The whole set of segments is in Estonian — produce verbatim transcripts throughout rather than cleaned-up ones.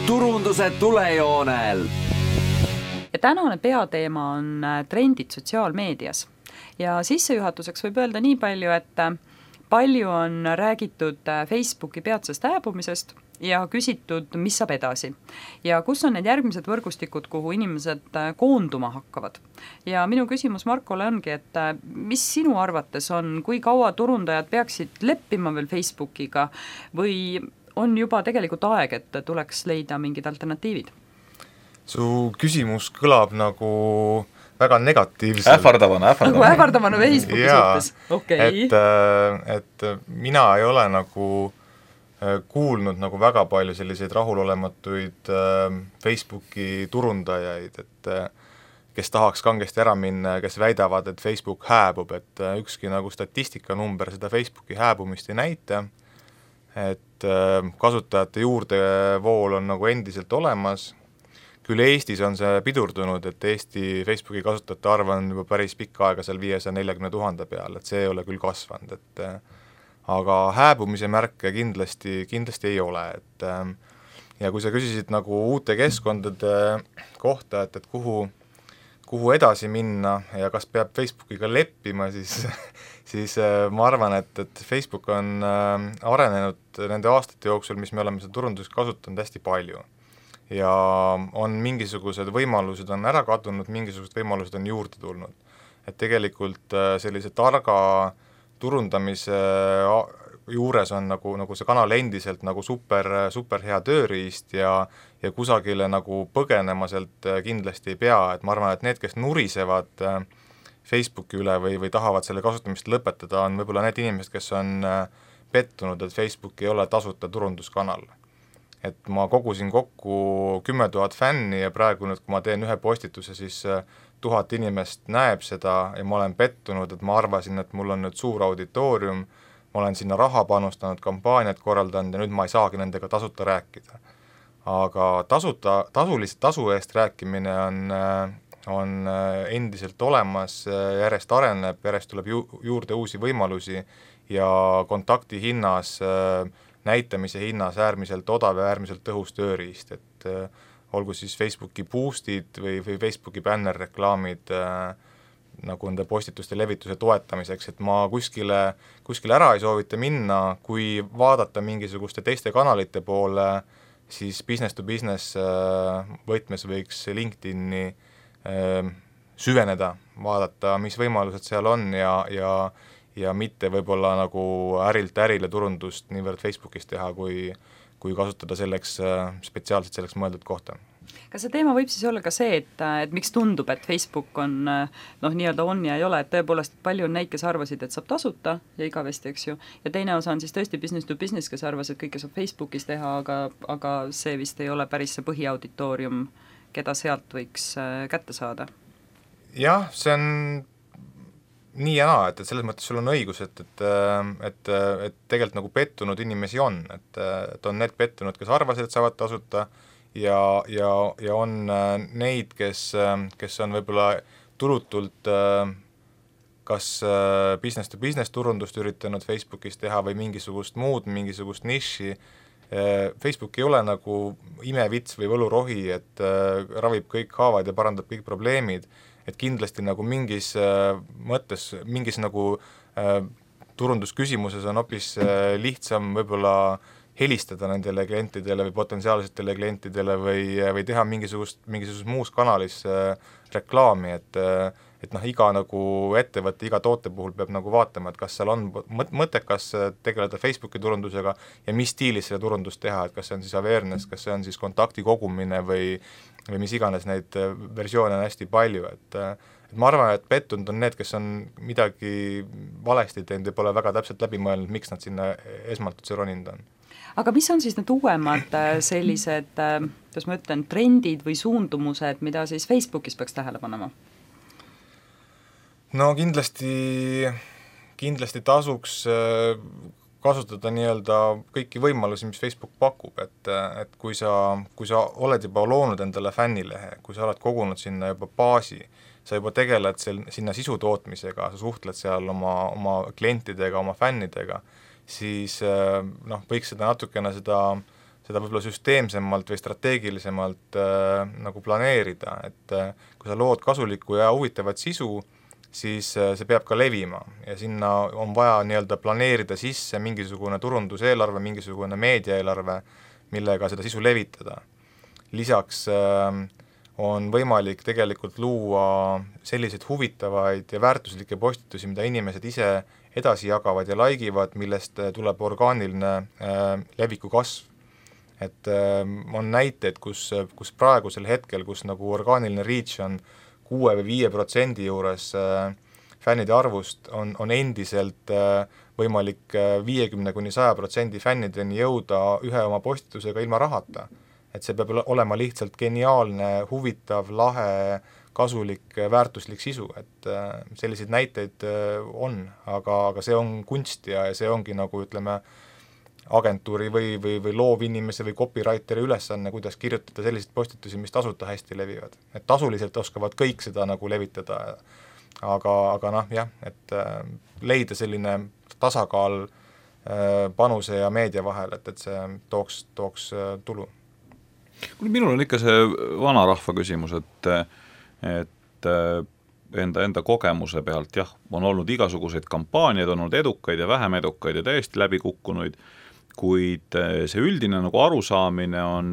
turunduse tulejoonel. Ja tänane peateema on trendid sotsiaalmeedias. Ja sissejuhatuseks võib öelda nii palju, et palju on räägitud Facebooki peatsest hääbumisest ja küsitud, mis saab edasi. Ja kus on need järgmised võrgustikud, kuhu inimesed koonduma hakkavad. Ja minu küsimus Markole ongi, et mis sinu arvates on, kui kaua turundajad peaksid leppima veel Facebookiga või on juba tegelikult aeg, et tuleks leida mingid alternatiivid? Su küsimus kõlab nagu väga negatiivselt. Ähvardavana, ähvardavana. Nagu ähvardavana Facebooki suhtes. Okay. Et, et mina ei ole nagu kuulnud nagu väga palju selliseid rahulolematuid Facebooki turundajaid, et kes tahaks kangesti ära minna ja kes väidavad, et Facebook hääbub, et ükski nagu statistikanumber seda Facebooki hääbumist ei näita, et kasutajate juurdevool on nagu endiselt olemas. Küll Eestis on see pidurdunud, et Eesti Facebooki kasutajate arv on juba päris pikka aega seal viiesaja neljakümne tuhande peal, et see ei ole küll kasvanud, et aga hääbumise märke kindlasti, kindlasti ei ole, et ja kui sa küsisid nagu uute keskkondade kohta, et, et kuhu, kuhu edasi minna ja kas peab Facebookiga leppima, siis, siis ma arvan, et, et Facebook on arenenud nende aastate jooksul, mis me oleme seda turunduseks kasutanud hästi palju. Ja on mingisugused võimalused on ära kadunud, mingisugused võimalused on juurde tulnud. Et tegelikult sellise targa turundamise juures on nagu, nagu see kanal endiselt nagu super, super hea tööriist ja, ja kusagile nagu põgenema sealt kindlasti ei pea, et ma arvan, et need, kes nurisevad Facebooki üle või, või tahavad selle kasutamist lõpetada, on võib-olla need inimesed, kes on pettunud, et Facebook ei ole tasuta turunduskanal. Et ma kogusin kokku kümme tuhat fänni ja praegu nüüd, kui ma teen ühe postituse, siis tuhat inimest näeb seda ja ma olen pettunud, et ma arvasin, et mul on nüüd suur auditoorium, ma olen sinna raha panustanud, kampaaniat korraldanud ja nüüd ma ei saagi nendega tasuta rääkida. Aga tasuta, tasulist tasu eest rääkimine on, on endiselt olemas, järjest areneb, järjest tuleb ju, juurde uusi võimalusi ja kontakti hinnas näitamise hinnas äärmiselt odav ja äärmiselt tõhus tööriist, et äh, olgu siis Facebooki boostid või, või Facebooki bannerreklaamid äh, nagu nende postituste levituse toetamiseks, et ma kuskile, kuskile ära ei soovita minna, kui vaadata mingisuguste teiste kanalite poole, siis business to business äh, võtmes võiks LinkedIni äh, süveneda, vaadata, mis võimalused seal on ja, ja ja mitte võib-olla nagu ärilt ärile turundust niivõrd Facebookis teha, kui, kui kasutada selleks, spetsiaalselt selleks mõeldud kohta. Kas see teema võib siis olla ka see, et, et miks tundub, et Facebook on noh, nii-öelda on ja ei ole, et tõepoolest palju on neid, kes arvasid, et saab tasuta ja igavesti, eks ju, ja teine osa on siis tõesti business to business, kes arvas, et kõike saab Facebookis teha, aga, aga see vist ei ole päris see põhiauditoorium, keda sealt võiks kätte saada? Jah, see on nii ja naa, et, et selles mõttes sul on õigus, et, et, et, et tegelikult nagu pettunud inimesi on, et, et on need pettunud, kes arvasid, et saavad tasuta ja, ja, ja on neid, kes, kes on võib-olla tulutult kas business to business turundust üritanud Facebookis teha või mingisugust muud, mingisugust niši. Facebook ei ole nagu imevits või võlurohi, et ravib kõik haavad ja parandab kõik probleemid, et kindlasti nagu mingis äh, mõttes, mingis nagu äh, turundusküsimuses on hoopis äh, lihtsam võib-olla helistada nendele klientidele või potentsiaalsetele klientidele või, või teha mingisugust, mingisugust muus kanalis äh, reklaami, et äh, et noh, iga nagu ettevõtte, iga toote puhul peab nagu vaatama, et kas seal on mõttekas tegeleda Facebooki turundusega ja mis stiilis selle turundust teha, et kas see on siis awareness, kas see on siis kontakti kogumine või, või mis iganes neid versioone on hästi palju, et, et ma arvan, et pettunud on need, kes on midagi valesti teinud ja pole väga täpselt läbi mõelnud, miks nad sinna esmalt üldse roninud on. Aga mis on siis need uuemad sellised, kuidas ma ütlen, trendid või suundumused, mida siis Facebookis peaks tähele panema? No kindlasti, kindlasti tasuks kasutada nii-öelda kõiki võimalusi, mis Facebook pakub, et, et kui sa, kui sa oled juba loonud endale fännilehe, kui sa oled kogunud sinna juba baasi, sa juba tegeled sel, sinna sisu tootmisega, sa suhtled seal oma, oma klientidega, oma fännidega, siis noh, võiks seda natukene seda, seda võib-olla süsteemsemalt või strateegilisemalt äh, nagu planeerida, et äh, kui sa lood kasulikku ja huvitavat sisu, siis äh, see peab ka levima ja sinna on vaja nii-öelda planeerida sisse mingisugune turunduseelarve, mingisugune meediaeelarve, millega seda sisu levitada. Lisaks äh, on võimalik tegelikult luua selliseid huvitavaid ja väärtuslikke postitusi, mida inimesed ise edasi jagavad ja laigivad, millest tuleb orgaaniline äh, leviku kasv. Et äh, on näiteid, kus, kus praegusel hetkel, kus nagu orgaaniline reach on kuue või viie protsendi juures äh, fännide arvust, on, on endiselt äh, võimalik viiekümne kuni saja protsendi fännideni jõuda ühe oma postitusega ilma rahata. Et see peab olema lihtsalt geniaalne, huvitav, lahe, kasulik, väärtuslik sisu, et äh, selliseid näiteid äh, on, aga, aga see on kunst ja see ongi nagu ütleme agentuuri või, või, või loovinimese või copywriteri ülesanne, kuidas kirjutada selliseid postitusi, mis tasuta hästi levivad. Et tasuliselt oskavad kõik seda nagu levitada, aga, aga noh, jah, et äh, leida selline tasakaal äh, panuse ja meedia vahel, et, et see tooks, tooks äh, tulu. Minul on ikka see vanarahva küsimus, et, et enda, enda kogemuse pealt, jah, on olnud igasuguseid kampaaniaid, on olnud edukaid ja vähem edukaid ja täiesti läbi kukkunuid, kuid see üldine nagu arusaamine on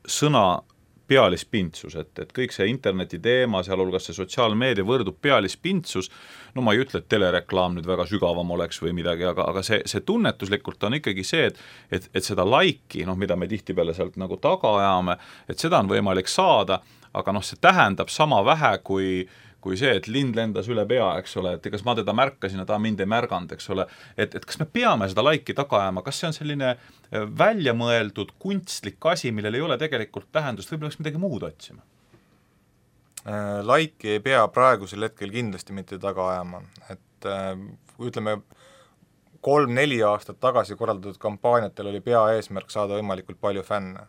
sõna pealispintsus, et, et kõik see interneti teema, sealhulgas see sotsiaalmeedia võrdub pealispintsus, no ma ei ütle, et telereklaam nüüd väga sügavam oleks või midagi, aga, aga see, see tunnetuslikult on ikkagi see, et, et, et seda laiki, noh, mida me tihtipeale sealt nagu taga ajame, et seda on võimalik saada, aga noh, see tähendab sama vähe kui kui see, et lind lendas üle pea, eks ole, et kas ma teda märkasin ja ta mind ei märganud, eks ole, et, et kas me peame seda laiki taga ajama, kas see on selline välja mõeldud kunstlik asi, millel ei ole tegelikult tähendust, võib-olla oleks midagi muud otsima? Laiki ei pea praegusel hetkel kindlasti mitte taga ajama, et ütleme, kolm-neli aastat tagasi korraldatud kampaaniatel oli pea eesmärk saada võimalikult palju fänne.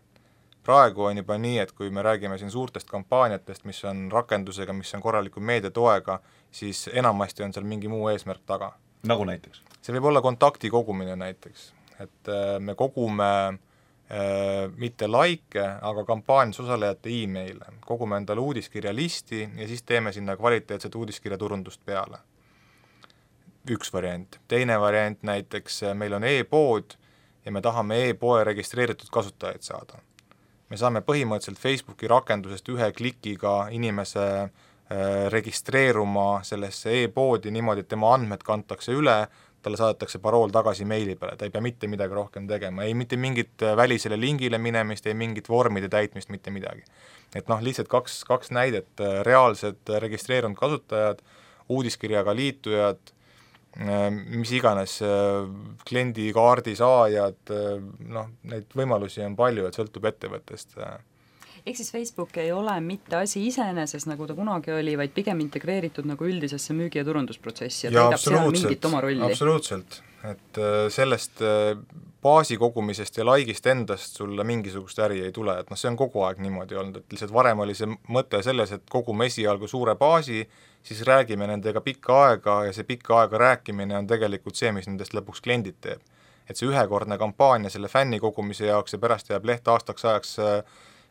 Praegu on juba nii, et kui me räägime siin suurtest kampaaniatest, mis on rakendusega, mis on korraliku meediatoega, siis enamasti on seal mingi muu eesmärk taga. Nagu näiteks? See võib olla kontakti kogumine näiteks, et me kogume äh, mitte like, aga kampaanias osalejate e-maile, kogume endale uudiskirja listi ja siis teeme sinna kvaliteetset uudiskirja turundust peale. Üks variant. Teine variant näiteks, meil on e-pood ja me tahame e-poe registreeritud kasutajaid saada. Me saame põhimõtteliselt Facebooki rakendusest ühe klikiga inimese äh, registreeruma sellesse e-poodi niimoodi, et tema andmed kantakse üle, talle saadetakse parool tagasi meili peale, ta ei pea mitte midagi rohkem tegema, ei mitte mingit välisele lingile minemist, ei mingit vormide täitmist, mitte midagi. Et noh, lihtsalt kaks, kaks näidet, reaalsed registreerunud kasutajad, uudiskirjaga liitujad, mis iganes kliendikaardi saajad, noh, neid võimalusi on palju, et sõltub ettevõttest. Ehk siis Facebook ei ole mitte asi iseeneses, nagu ta kunagi oli, vaid pigem integreeritud nagu üldisesse müügi- ja turundusprotsessi ja, ja täidab seal mingit oma rolli. Absoluutselt, et sellest baasi kogumisest ja laikist endast sulle mingisugust äri ei tule, et noh, see on kogu aeg niimoodi olnud, et lihtsalt varem oli see mõte selles, et kogume esialgu suure baasi, siis räägime nendega pikka aega ja see pikka aega rääkimine on tegelikult see, mis nendest lõpuks kliendid teeb. Et see ühekordne kampaania selle fänni kogumise jaoks ja pärast jääb leht aastaks ajaks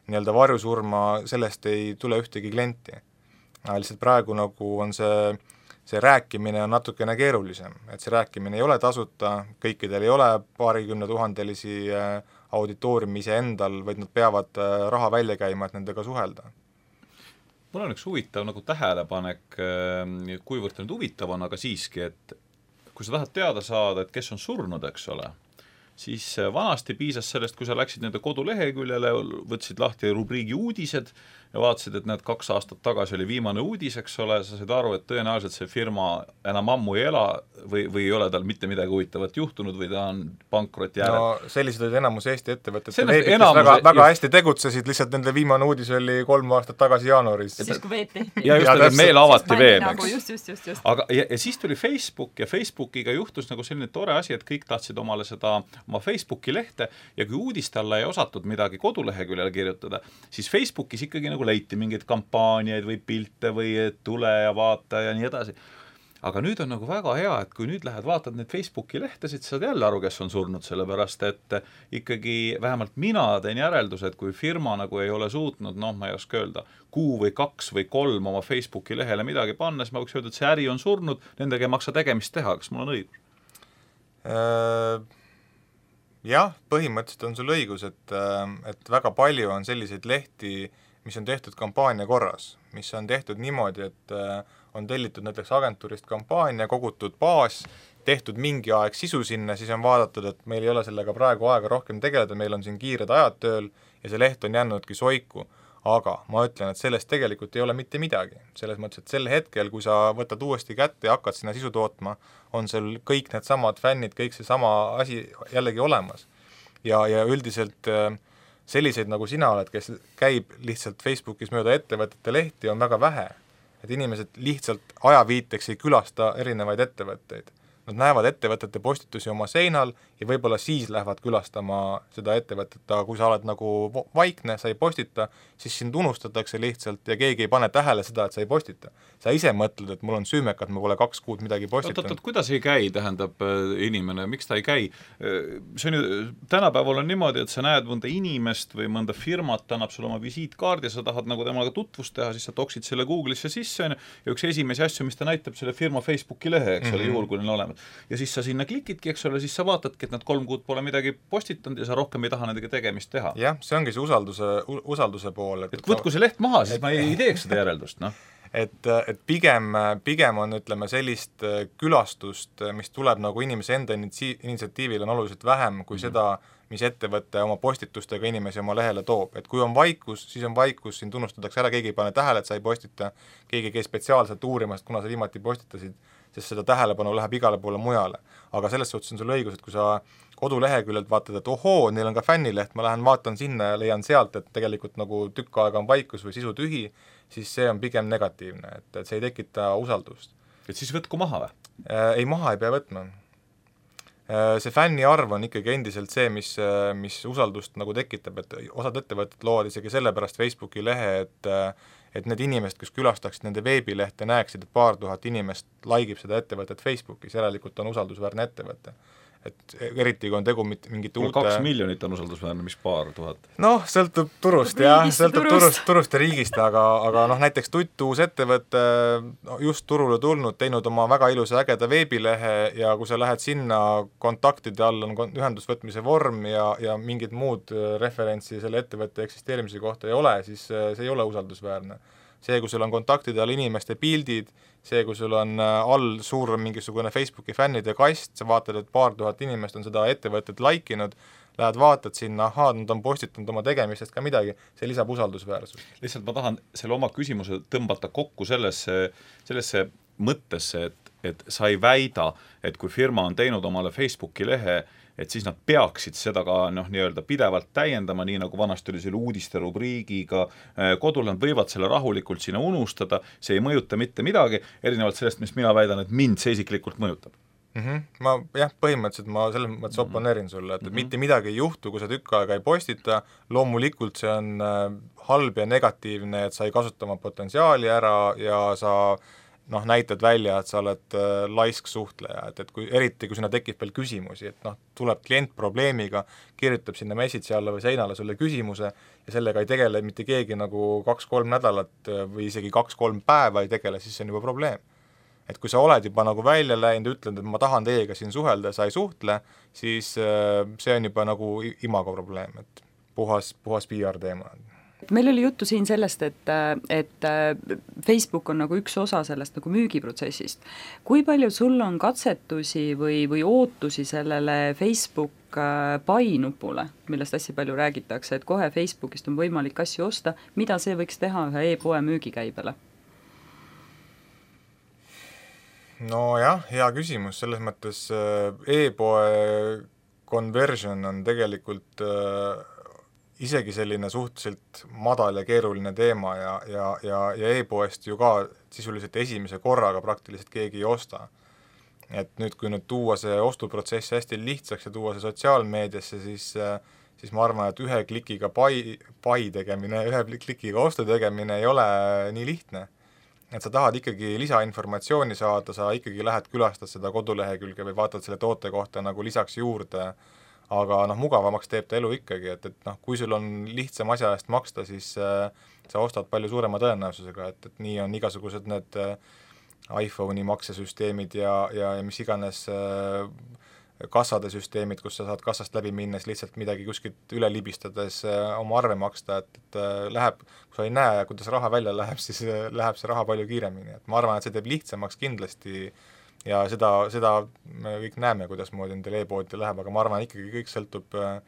nii-öelda varjusurma, sellest ei tule ühtegi klienti. Lihtsalt praegu nagu on see, see rääkimine on natukene keerulisem, et see rääkimine ei ole tasuta, kõikidel ei ole paarikümne tuhandelisi auditooriumi ise endal, vaid nad peavad raha välja käima, et nendega suhelda. Mul on üks huvitav nagu tähelepanek, kuivõrd nüüd huvitav on, aga siiski, et kui sa tahad teada saada, et kes on surnud, eks ole, siis vanasti piisas sellest, kui sa läksid nende koduleheküljele, võtsid lahti rubriigi uudised ja vaatasid, et need kaks aastat tagasi oli viimane uudis, eks ole, sa said aru, et tõenäoliselt see firma enam ammu ei ela või, või ei ole tal mitte midagi huvitavat juhtunud või ta on pankroti järel. No sellised olid enamus Eesti ettevõtted, enamus, väga, väga hästi tegutsesid, lihtsalt nende viimane uudis oli kolm aastat tagasi jaanuaris. Siis kui veed tehti. Ja just, et meil avati veel, nagu, just, just, just, just. Aga, ja, ja siis tuli Facebook ja Facebookiga juhtus nagu selline tore asi, et kõik tahtsid omale seda oma Facebooki lehte ja kui uudiste alla ei osatud midagi koduleheküljele kirjutada, siis Facebookis ikkagi nagu leiti mingeid kampaaniaid või pilte või tule ja vaata ja nii edasi. aga nüüd on nagu väga hea, et kui nüüd lähed vaatad need Facebooki lehtesid, saad jälle aru, kes on surnud, sellepärast et ikkagi vähemalt mina teen järelduse, et kui firma nagu ei ole suutnud, noh, ma ei oska öelda, kuu või kaks või kolm oma Facebooki lehele midagi panna, siis ma võiks öelda, et see äri on surnud, nendega ei maksa tegemist teha, kas mul on õigus? Jah, põhimõtteliselt on sul õigus, et, et väga palju on selliseid lehti, mis on tehtud kampaania korras, mis on tehtud niimoodi, et on tellitud näiteks agentuurist kampaania, kogutud baas, tehtud mingi aeg sisu sinna, siis on vaadatud, et meil ei ole sellega praegu aega rohkem tegeleda, meil on siin kiired ajad tööl ja see leht on jännudki soiku. Aga ma ütlen, et sellest tegelikult ei ole mitte midagi. Selles mõttes, et sel hetkel, kui sa võtad uuesti kätte ja hakkad sinna sisu tootma, on seal kõik need samad fännid, kõik see sama asi jällegi olemas. Ja, ja üldiselt selliseid nagu sina oled, kes käib lihtsalt Facebookis mööda ettevõtete lehti, on väga vähe. Et inimesed lihtsalt ajaviiteks ei külasta erinevaid ettevõtteid. Nad näevad ettevõtete postitusi oma seinal ja võib-olla siis lähevad külastama seda ettevõtet, aga kui sa oled nagu vaikne, sa ei postita, siis sind unustatakse lihtsalt ja keegi ei pane tähele seda, et sa ei postita. Sa ise mõtled, et mul on süümekat, ma pole kaks kuud midagi postitanud. Oot, oot, kuidas ei käi, tähendab inimene, miks ta ei käi? See on ju, tänapäeval on niimoodi, et sa näed mõnda inimest või mõnda firmat, annab sulle oma visiitkaardi ja sa tahad nagu temaga tutvust teha, siis sa toksid selle Google'isse sisse ja üks esimesi asju, mis ta näitab selle firma Facebooki lehe, eks ole, mm-hmm. juhul, kui neil olemas. Ja siis sa sinna klikidki, eks ole, siis sa vaatadki, et nad kolm kuud pole midagi postitanud ja sa rohkem ei taha nendega tegemist teha. Jah, see ongi see usalduse, usalduse pool. Et, et võtku see leht maha, siis et, ma ei, ei teeks seda järeldust, noh. Et, et pigem, pigem on, ütleme, sellist külastust, mis tuleb nagu inimese enda initsiatiivil on oluliselt vähem kui mm-hmm. seda, mis ettevõtte oma postitustega inimesi oma lehele toob. Et kui on vaikus, siis on vaikus, siin tunnustatakse ära, keegi ei pane tähele, et sa ei postita, keegi käis spetsiaalselt uurimast, kuna sa viimati postitasid, sest seda tähelepanu läheb igale poole mujale. Aga selles suhtes on sul õigus, et kui sa koduleheküljelt vaatad, et ohoo, neil on ka fännileht, ma lähen vaatan sinna ja leian sealt, et tegelikult nagu tükk aega on vaikus või sisu tühi, siis see on pigem negatiivne, et, et see ei tekita usaldust. Et siis võtku maha või? Ei, maha ei pea võtma. See fänni arv on ikkagi endiselt see, mis, mis usaldust nagu tekitab, et osad ettevõtted loovad isegi sellepärast Facebooki lehe, et et need inimesed, kes külastaksid nende veebilehte, näeksid, et paar tuhat inimest laikib seda ettevõtet Facebookis, järelikult on usaldusväärne ettevõte. Et eriti kui on tegu mingite uute... Kaks miljonit on usaldusväärne, mis paar tuhat? Noh, sõltub turust, jah, sõltub turust, turust ja riigist, aga, aga noh, näiteks tuttu uus ettevõte just turule tulnud, teinud oma väga ilusa ägeda veebilehe ja kui sa lähed sinna, kontaktide all on ühendusvõtmise vorm ja, ja mingid muud referentsi selle ettevõtte eksisteerimise kohta ei ole, siis see ei ole usaldusväärne. See, kui sul on kontaktide all inimeste pildid, see, kui sul on all suur mingisugune Facebooki fännide kast, sa vaatad, et paar tuhat inimest on seda ettevõtet laikinud, lähed vaatad sinna, ahaa, nad on postitanud oma tegemistest ka midagi, see lisab usaldusväärsus. Lihtsalt ma tahan selle oma küsimuse tõmbata kokku sellesse, sellesse mõttesse, et, et sa ei väida, et kui firma on teinud omale Facebooki lehe, et siis nad peaksid seda ka noh, nii-öelda pidevalt täiendama, nii nagu vanasti oli selle uudiste rubriigiga kodul, nad võivad selle rahulikult sinna unustada, see ei mõjuta mitte midagi, erinevalt sellest, mis mina väidan, et mind see isiklikult mõjutab. Mm-hmm. Ma jah, põhimõtteliselt ma selles mõttes oponeerin sulle, et mm-hmm. mitte midagi ei juhtu, kui sa tükk aega ei postita, loomulikult see on halb ja negatiivne, et sa ei kasuta oma potentsiaali ära ja sa noh, näitad välja, et sa oled äh, laisk suhtleja, et, et kui, eriti kui sinna tekib veel küsimusi, et noh, tuleb klient probleemiga, kirjutab sinna message alla või seinale sulle küsimuse ja sellega ei tegele mitte keegi nagu kaks-kolm nädalat või isegi kaks-kolm päeva ei tegele, siis see on juba probleem. Et kui sa oled juba nagu välja läinud, ütled, et ma tahan teiega siin suhelda ja sa ei suhtle, siis äh, see on juba nagu imago probleem, et puhas, puhas P R teema. Meil oli juttu siin sellest, et, et Facebook on nagu üks osa sellest nagu müügiprotsessist. Kui palju sul on katsetusi või, või ootusi sellele Facebook buy-nupule, millest hästi palju räägitakse, et kohe Facebookist on võimalik asju osta, mida see võiks teha ühe e-poe müügikäibele? No jah, hea küsimus, selles mõttes e-poe conversion on tegelikult isegi selline suhteliselt madal ja keeruline teema ja, ja, ja, ja e-poest ju ka sisuliselt esimese korraga praktiliselt keegi ei osta. Et nüüd, kui nüüd tuua see ostuprotsess hästi lihtsaks ja tuua see sotsiaalmeediasse, siis, siis ma arvan, et ühe klikiga buy, buy tegemine, ühe klikiga ostu tegemine ei ole nii lihtne. et sa tahad ikkagi lisainformatsiooni saada, sa ikkagi lähed külastad seda kodulehekülge või vaatad selle toote kohta nagu lisaks juurde, aga noh, mugavamaks teeb ta elu ikkagi, et, et noh, kui sul on lihtsam asja eest maksta, siis äh, sa ostad palju suurema tõenäosusega, et, et nii on igasugused need äh, iPhone'i maksesüsteemid ja, ja, ja mis iganes äh, kassade süsteemid, kus sa saad kassast läbi minnes lihtsalt midagi kuskilt üle libistades äh, oma arve maksta, et, et äh, läheb, kui sa ei näe, kuidas raha välja läheb, siis äh, läheb see raha palju kiiremini, et ma arvan, et see teeb lihtsamaks kindlasti ja seda, seda me kõik näeme, kuidas moodi nendel e-poodi läheb, aga ma arvan, ikkagi kõik sõltub äh,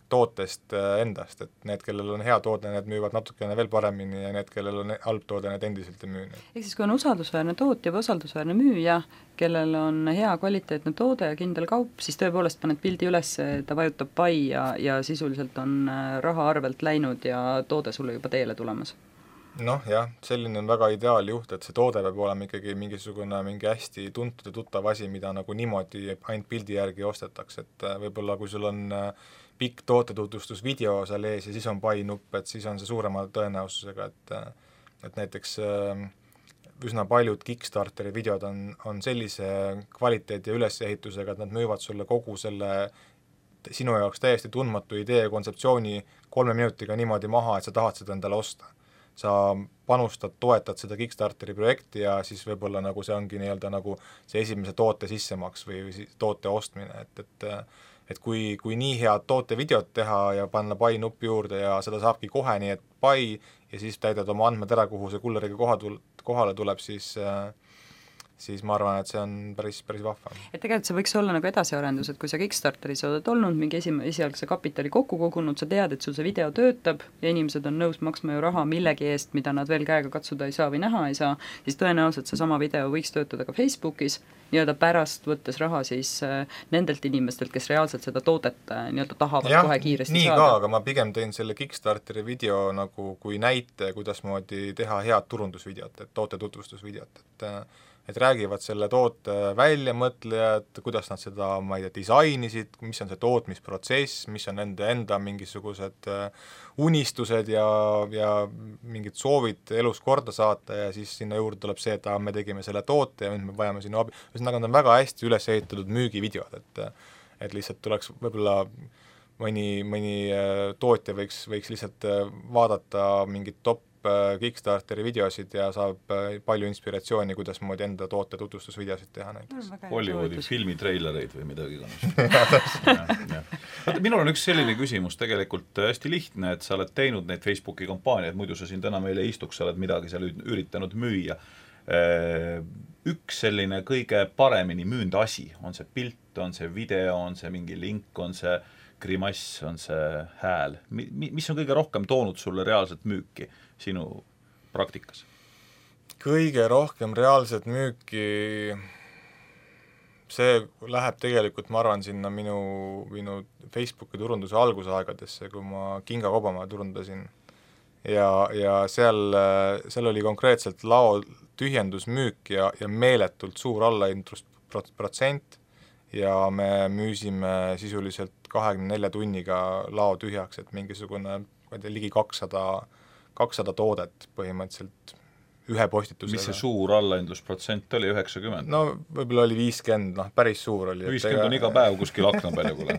tootest äh, endast, et need, kellel on hea toode, need müüvad natukene veel paremini ja need, kellel on halb toode, need endiselt ei müü. Ehk siis, kui on usaldusväärne tootja või usaldusväärne müüja, kellel on hea kvaliteetne toode ja kindel kaup, siis tõepoolest paned pildi üles, ta vajutab pai ja, ja sisuliselt on raha arvelt läinud ja toode sulle juba teele tulemas. Noh jah, selline on väga ideaaljuht, et see toode peab olema ikkagi mingisugune mingi hästi tuntud ja tuttav asi, mida nagu niimoodi ainult pildi järgi ostetakse, et võib-olla kui sul on pikk tootetutvustusvideo seal ees ja siis on pai nupp, et siis on see suurema tõenäosusega, et et näiteks üsna paljud Kickstarteri videod on, on sellise kvaliteedi ja ülesehitusega, et nad müüvad sulle kogu selle sinu jaoks täiesti tundmatu idee ja kontseptsiooni kolme minutiga niimoodi maha, et sa tahad seda endale osta. Sa panustad, toetad seda Kickstarteri projekti ja siis võib-olla nagu see ongi nii-öelda nagu see esimese toote sissemaks või, või toote ostmine, et, et et kui, kui nii head tootevideot teha ja panna pai nupp juurde ja seda saabki kohe nii, et pai ja siis täidad oma andmed ära, kuhu see kulleriga koha tul-, kohale tuleb, siis äh, siis ma arvan, et see on päris, päris vahva. Et tegelikult see võiks olla nagu edasiarendus, et kui sa Kickstarteris oled olnud, mingi esim-, esialgse kapitali kokku kogunud, sa tead, et sul see video töötab ja inimesed on nõus maksma ju raha millegi eest, mida nad veel käega katsuda ei saa või näha ei saa, siis tõenäoliselt see sama video võiks töötada ka Facebookis, nii-öelda pärast võttes raha siis äh, nendelt inimestelt, kes reaalselt seda toodet äh, nii-öelda tahavad ja, kohe kiiresti nii saada. Ka, aga ma pigem tõin selle Kickstarteri video nagu kui näite, kuidasmoodi teha head turundusvideot, et toote tutvustusvideot, et et räägivad selle toote väljamõtlejad, kuidas nad seda, ma ei tea, disainisid, mis on see tootmisprotsess, mis on nende enda mingisugused unistused ja, ja mingid soovid elus korda saata ja siis sinna juurde tuleb see, et me tegime selle toote ja nüüd me vajame sinna abi. Ühesõnaga, on väga hästi üles ehitatud müügivideod, et, et lihtsalt tuleks võib-olla mõni, mõni tootja võiks, võiks lihtsalt vaadata mingit top Kickstarteri videosid ja saab palju inspiratsiooni, kuidas moodi enda toote tutvustusvideosid teha näiteks. Hollywoodi filmitreilereid või midagi kannast. Minul on üks selline küsimus tegelikult hästi lihtne, et sa oled teinud neid Facebooki kampaaniaid, muidu sa siin täna meile istuks, sa oled midagi seal üritanud müüa. Üks selline kõige paremini müünd asi, on see pilt, on see video, on see mingi link, on see grimass, on see hääl. Mis on kõige rohkem toonud sulle reaalselt müüki sinu praktikas? Kõige rohkem reaalselt müüki, see läheb tegelikult, ma arvan, sinna minu, minu Facebooki turunduse algusaegadesse, kui ma Kinga Kobamaa turundasin. Ja, ja seal, seal oli konkreetselt lao tühjendusmüük ja, ja meeletult suur allahindlus protsent ja me müüsime sisuliselt kahekümne nelja tunniga lao tühjaks, et mingisugune ligi kakssada, kakssada toodet põhimõtteliselt ühe postitusega. Mis see suur allahindlusprotsent oli, üheksakümmend? No võib-olla oli viiskümmend, noh päris suur oli. viiskümmend on iga päev kuskil akna peal kuule.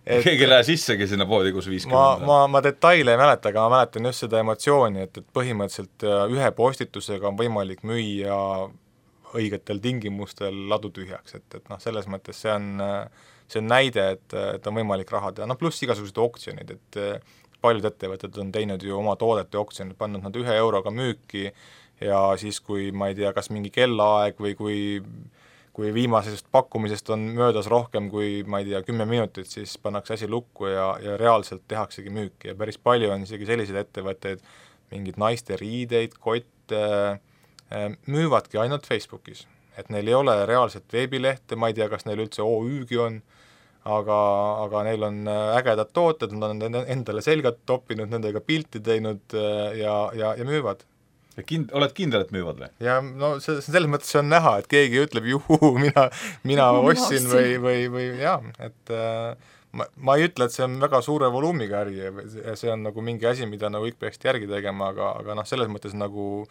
Keegi ei lähe sissegi sinna poodi, kus viiskümmend. Ma, ma, ma detaile ei mäleta, aga ma mäletan just seda emotsiooni, et, et põhimõtteliselt ühe postitusega on võimalik müüa õigetel tingimustel ladu tühjaks, et, et noh, selles mõttes see on, see on näide, et, et on võimalik raha teha, no pluss igasugused oktsionid, et paljud ettevõtted on teinud ju oma toodete oktsionid, pannud nad ühe euroga müüki ja siis, kui ma ei tea, kas mingi kellaaeg või kui, kui viimasest pakkumisest on möödas rohkem kui, ma ei tea, kümme minutit, siis pannakse asi lukku ja, ja reaalselt tehaksegi müüki ja päris palju on isegi selliseid ettevõtteid, mingid naiste riideid, kotte, müüvadki ainult Facebookis, et neil ei ole reaalset veebilehte, ma ei tea, kas neil üldse O Ü-gi on, aga, aga neil on ägedad tooted, nad on endale selgelt toppinud, nendega pilti teinud ja, ja, ja müüvad. Ja kind, oled kindel, et müüvad või? Ja no see, selles mõttes on näha, et keegi ütleb, juhu, mina, mina ostsin või, või, või jah, et äh, ma, ma ei ütle, et see on väga suure voluumiga äri ja see on nagu mingi asi, mida nagu kõik peaks järgi tegema, aga, aga noh, selles mõttes nagu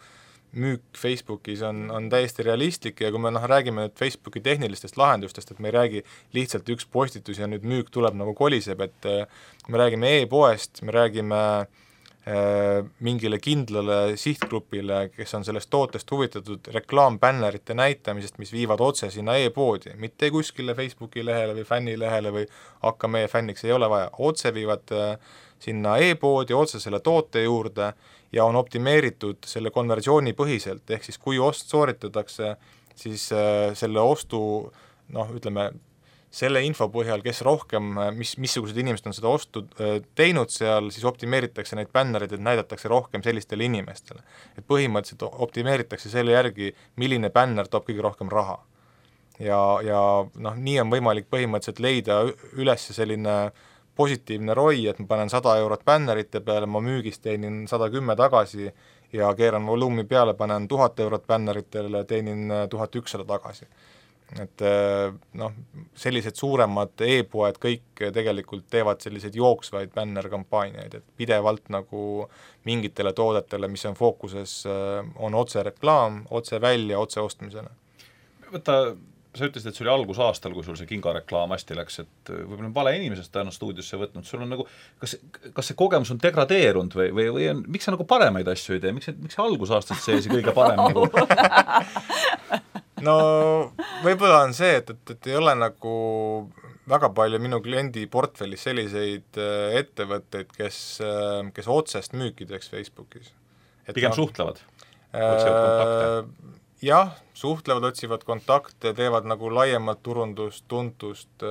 müük Facebookis on, on täiesti realistlik ja kui me noh, räägime nüüd Facebooki tehnilistest lahendustest, et me ei räägi lihtsalt üks postitus ja nüüd müük tuleb nagu koliseb, et kui me räägime e-poest, me räägime äh, mingile kindlale sihtgrupile, kes on sellest tootest huvitatud reklaambännerite näitamisest, mis viivad otse sinna e-poodi, mitte kuskile Facebooki lehele või fännilehele või hakka meie fänniks, ei ole vaja, otse viivad äh, sinna e-poodi, otse selle toote juurde ja on optimeeritud selle konversiooni põhiselt, ehk siis kui ost sooritatakse, siis äh, selle ostu, noh, ütleme, selle info põhjal, kes rohkem, mis, missugused inimesed on seda ostu äh, teinud seal, siis optimeeritakse neid bännereid, et näidatakse rohkem sellistele inimestele. Et põhimõtteliselt optimeeritakse selle järgi, milline bänner toob kõige rohkem raha. Ja, ja noh, nii on võimalik põhimõtteliselt leida üles selline positiivne roi, et ma panen sada eurot bännerite peale, ma müügist teenin sada kümme tagasi ja keeran volumi peale, panen tuhat eurot bänneritele, teenin tuhat ükssada tagasi. Et noh, sellised suuremad e-poed kõik tegelikult teevad selliseid jooksvaid bännerkampaaniaid, et pidevalt nagu mingitele toodetele, mis on fookuses, on otse reklaam, otse välja, otse ostmisele. Võta sa ütlesid, et see oli algusaastal, kui sul see kingareklaam hästi läks, et võib-olla on vale inimesest täna stuudiosse võtnud, sul on nagu, kas, kas see kogemus on degradeerunud või, või, või on, miks sa nagu paremaid asju ei tee, miks, miks see algusaastast sees kõige parem nagu? No võib-olla on see, et, et, et ei ole nagu väga palju minu kliendi portfellis selliseid ettevõtteid, kes, kes otsest müüki teeks Facebookis. Et pigem no, suhtlevad, otsivad kontakte? Jah, suhtlevad, otsivad kontakte, teevad nagu laiemat turundust, tuntust,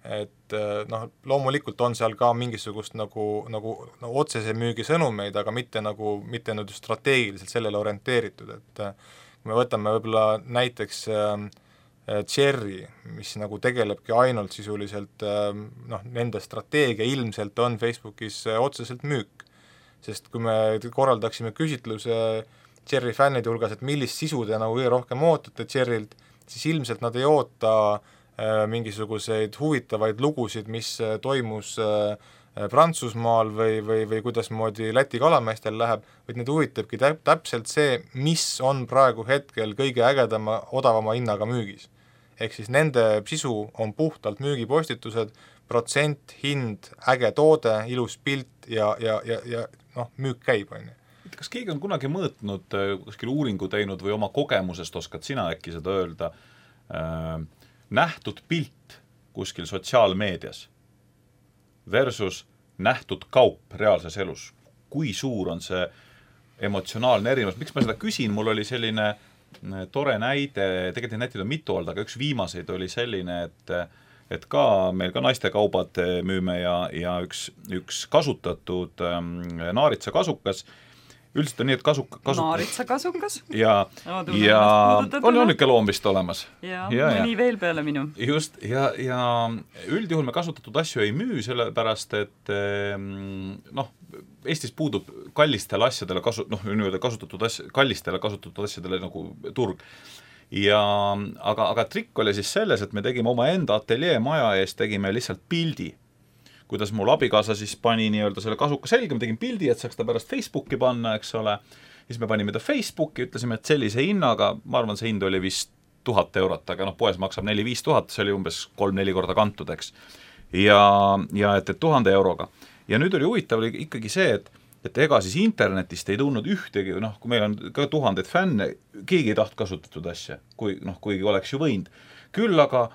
et noh, loomulikult on seal ka mingisugust nagu, nagu no, otsese müügi sõnumeid, aga mitte nagu, mitte nüüd strateegiliselt sellele orienteeritud, et kui me võtame võib-olla näiteks äh, Cherry, mis nagu tegelebki ainult sisuliselt äh, noh, nende strateegia ilmselt on Facebookis äh, otseselt müük, sest kui me korraldaksime küsitluse Cherry fännide hulgas, et millist sisu te nagu kõige rohkem ootate Cherrylt, siis ilmselt nad ei oota äh, mingisuguseid huvitavaid lugusid, mis äh, toimus äh, Prantsusmaal või, või, või kuidasmoodi Läti kalameestel läheb, vaid need huvitabki täp- täpselt see, mis on praegu hetkel kõige ägedama, odavama hinnaga müügis. Ehk siis nende sisu on puhtalt müügipostitused, protsent, hind, äge toode, ilus pilt ja, ja, ja, ja noh, müük käib, on ju. Kas keegi on kunagi mõõtnud, kuskil uuringu teinud või oma kogemusest oskad sina äkki seda öelda, äh, nähtud pilt kuskil sotsiaalmeedias versus nähtud kaup reaalses elus? Kui suur on see emotsionaalne erinevus? Miks ma seda küsin? Mul oli selline tore näide, tegelikult näiteid on mitu olnud, aga üks viimaseid oli selline, et et ka meil ka naistekaubad müüme ja, ja üks, üks kasutatud ähm, naaritsa kasukas, üldiselt on nii, et kasuk, kasut... naaritsa kasukas? Ja, ja on ju niisugune loom vist olemas. Ja, ja mõni ja. Veel peale minu. Just, ja, ja üldjuhul me kasutatud asju ei müü, sellepärast, et noh, Eestis puudub kallistele asjadele kasu, noh, nii-öelda kasutatud asja, kallistele kasutatud asjadele nagu turg. Ja, aga, aga trikk oli siis selles, et me tegime oma enda ateljee maja eest, tegime lihtsalt pildi, kuidas mul abikaasa siis pani nii-öelda selle kasuka selga, me tegime pildi, et saaks ta pärast Facebooki panna, eks ole, siis me panime ta Facebooki, ütlesime, et sellise hinnaga, ma arvan, see hind oli vist tuhat eurot, aga noh, poes maksab neli-viis tuhat, see oli umbes kolm-neli korda kantud, eks. Ja, ja et, et tuhande euroga. Ja nüüd oli huvitav oli ikkagi see, et, et ega siis internetist ei tulnud ühtegi, noh, kui meil on ka tuhandeid fänne, keegi ei taht kasutatud asja, kui, noh, kuigi oleks ju võinud. Küll aga